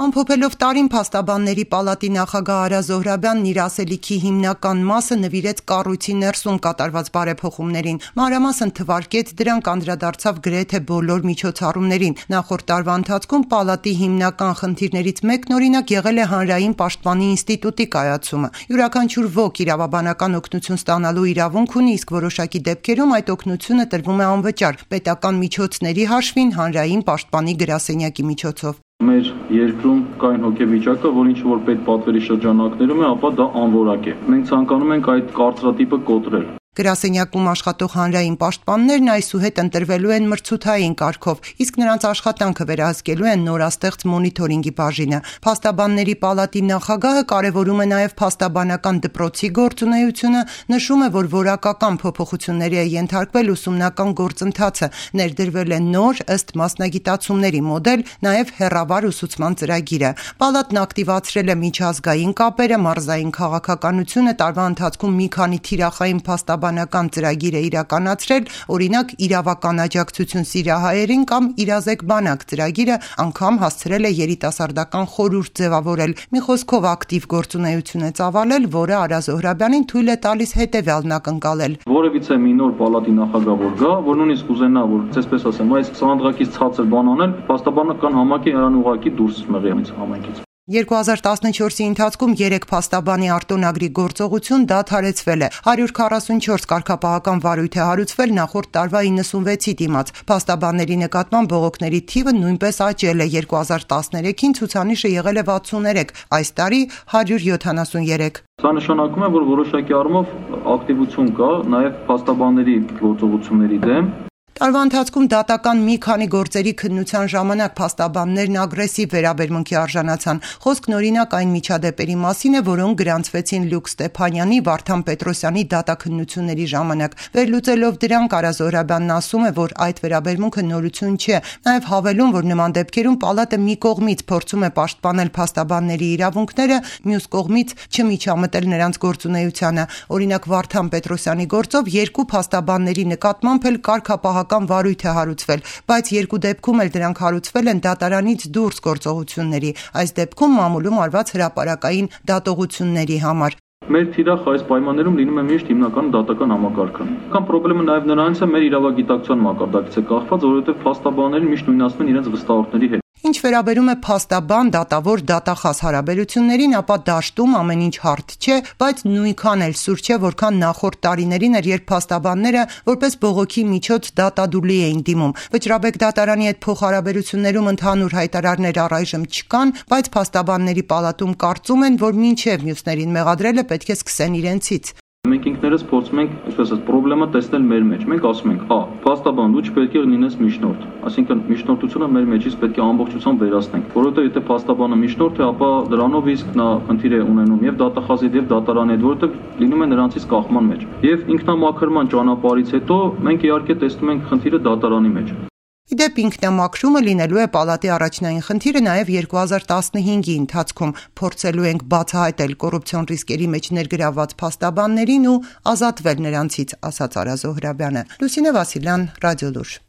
Ամփոփելով տարին փաստաբանների պալատի նախագահ Արա Զոհրաբյանն իր ասելիքի հիմնական մասը նվիրեց կառույցի ներսում կատարված բարեփոխումներին, մանրամասն թվարկեց դրանք, անդրադարձավ գրեթե բոլոր միջոցառումներին։ Նախորդ տարվա ընթացքում պալատի հիմնական խնդիրներից մեկն օրինակ եղել է հանրային պաշտպանի ինստիտուտի կայացումը։ Յուրաքանչյուր ոք իրավաբանական օգնություն ստանալու իրավունք ունի, իսկ որոշակի դեպքերում այդ օգնությունը տրվում է անվճար, պետական միջոցների հաշվին հանրային պաշտպանի գրասենյակի միջոցով։ Մեր երկրում կային հոգեվիճակը, որ ինչ որ պետպատվերի շրջանակներում է, ապա դա անորակ է։ Մենք ցանկանում ենք այդ կարծրատիպը կոտրել։ Գրասենյակում աշխատող հանրային պաշտպաններն այսուհետ ընտրվելու են մրցութային կարգով, իսկ նրանց աշխատանքը վերահսկելու են նորաստեղծ մոնիթորինգի բաժինը։ Փաստաբանների պալատի նախագահը կարևորում է նաև փաստաբանական դպրոցի գործունեությունը, նշում է, որ որակական փոփոխությունների է ենթարկվել ուսումնական գործընթացը, ներդրվել է նոր ըստ մասնագիտացումների մոդել, նաև հեռավար ուսուցման ծրագիրը։ Պալատն ակտիվացրել է միջազգային կապերը, մարզային քաղաքականությունը, տարվա ընթացքում մի քանի թիրախային փաստաբանական ծրագիր է իրականացրել, օրինակ իրավական աջակցություն սիրիահայերին կամ իրազեկ բանակ ծրագիրը անգամ հասցրել է երիտասարդական խորհուրդ ձևավորել։ Մի խոսքով ակտիվ գործունեություն է ծավալել, որը Արա Զոհրաբյանին թույլ է տալիս հետևյալն ակնկալել։ Որևիցե մի նոր պալատի նախագահ որ գա, որ նույնիսկ ուզենա, որ այսպես ասեմ, այս սանդղակից ցածր բան անել, փաստաբանական համակի նրան ուղակի դուրս մղի այս համայնքից։ 2014-ի ընթացքում 3 փաստաբանի արտոնագրի գործողություն դադարեցվել է, 144 կարգապահական վարույթ է հարուցվել նախորդ տարվա 96-ի դիմաց։ Փաստաբանների նկատմամբ բողոքների թիվը նույնպես աճել է, 2013-ին ցուցանիշը եղել է 63, այս տարի 173։ Սա նշանակում է, որ որոշակի առումով ակտիվություն կա նաև փաստաբանների գործողությունների դեմ։ Տարվա ընթացքում դատական մի քանի գործերի քննության ժամանակ փաստաբաններն ագրեսիվ վերաբերմունքի արժանացան։ Խոսքն օրինակ այն միջադեպերի մասին է, որոնք գրանցվեցին Լյուկ Ստեփանյանի, Վարդան Պետրոսյանի դատաքննությունների ժամանակ։ Վերլուծելով դրանք, Արա Զոհրաբյանն ասում է, որ այդ վերաբերմունքը նորություն չէ։ Նաև հավելում, որ նման դեպքերում պալատը մի կողմից փորձում է պաշտպանել փաստաբանների իրավունքները, մյուս կողմից չմիջամտել նրանց գործունեությանը։ Օրինակ Վարդան Պետրոսյանի գործով 2 փաստաբանների նկատմամբ էլ կարգապահական վարույթ է հարուցվել, բայց 2 դեպքում էլ դրանք հարուցվել են դատարանից դուրս գործողությունների, այս դեպքում մամուլում արված հրապարակային դատողությունների համար։ Մեր թիրախ այս պայմաններում լինում է միշտ հիմնական դատական համակարգը։ Կամ խնդրումը նաև նրանից է մեր իրավագիտակցության մակարդակից է կախված, որովհետև փաստաբանները միշտ նույնացնում են իրենց վստահորդների հետ։ Ինչ վերաբերում է փաստաբան, դատավոր, դատախազ հարաբերություններին, ապա դաշտում ամեն ինչ հարթ չէ, բայց նույնքան էլ սուր չէ, որքան նախորդ տարիներին էր, երբ փաստաբանները որպես բողոքի միջոց դատադուլի էին դիմում։ Վճռաբեկ դատարանի հետ փոխհարաբերություններում ընդհանուր հայտարարներ առայժմ չկան, բայց փաստաբանների պալատում կարծում են, որ մինչև մյուսներին մեղադրելը պետք է սկսեն իրենցից։ Մենք ինքներս փորձում ենք, այսպես ասած, խնդրումը տեսնել մեր մեջ։ Մենք ասում ենք, փաստաբան, դու չպետք է լինես միջնորդ։ Այսինքն միջնորդությունը մեր մեջից պետք է ամբողջությամբ վերացնենք, որովհետեւ եթե փաստաբանը միջնորդ է, ապա դրանով իսկ նա խնդիր է ունենում եւ դատախազի եւ դատարանի հետ, որովհետեւ լինում է նրանցից կախման մեջ։ Եվ ինքնամաքրման ճանապարհից հետո մենք իհարկե տեսնում ենք խնդիրը դատարանի մեջ։ Իդեպ ինքնամաքրումը լինելու է պալատի առաջնային խնդիրը նաև 2015-ի ընթացքում։ Փորձելու ենք բացահայտել կոռուպցիոն ռիսկերի մեջ ներգրավված փաստաբաններին ու ազատվել նրանցից, ասաց Արա Զոհրաբյանը։ Լուսինե Վասիլյան, Ռադիոլուր։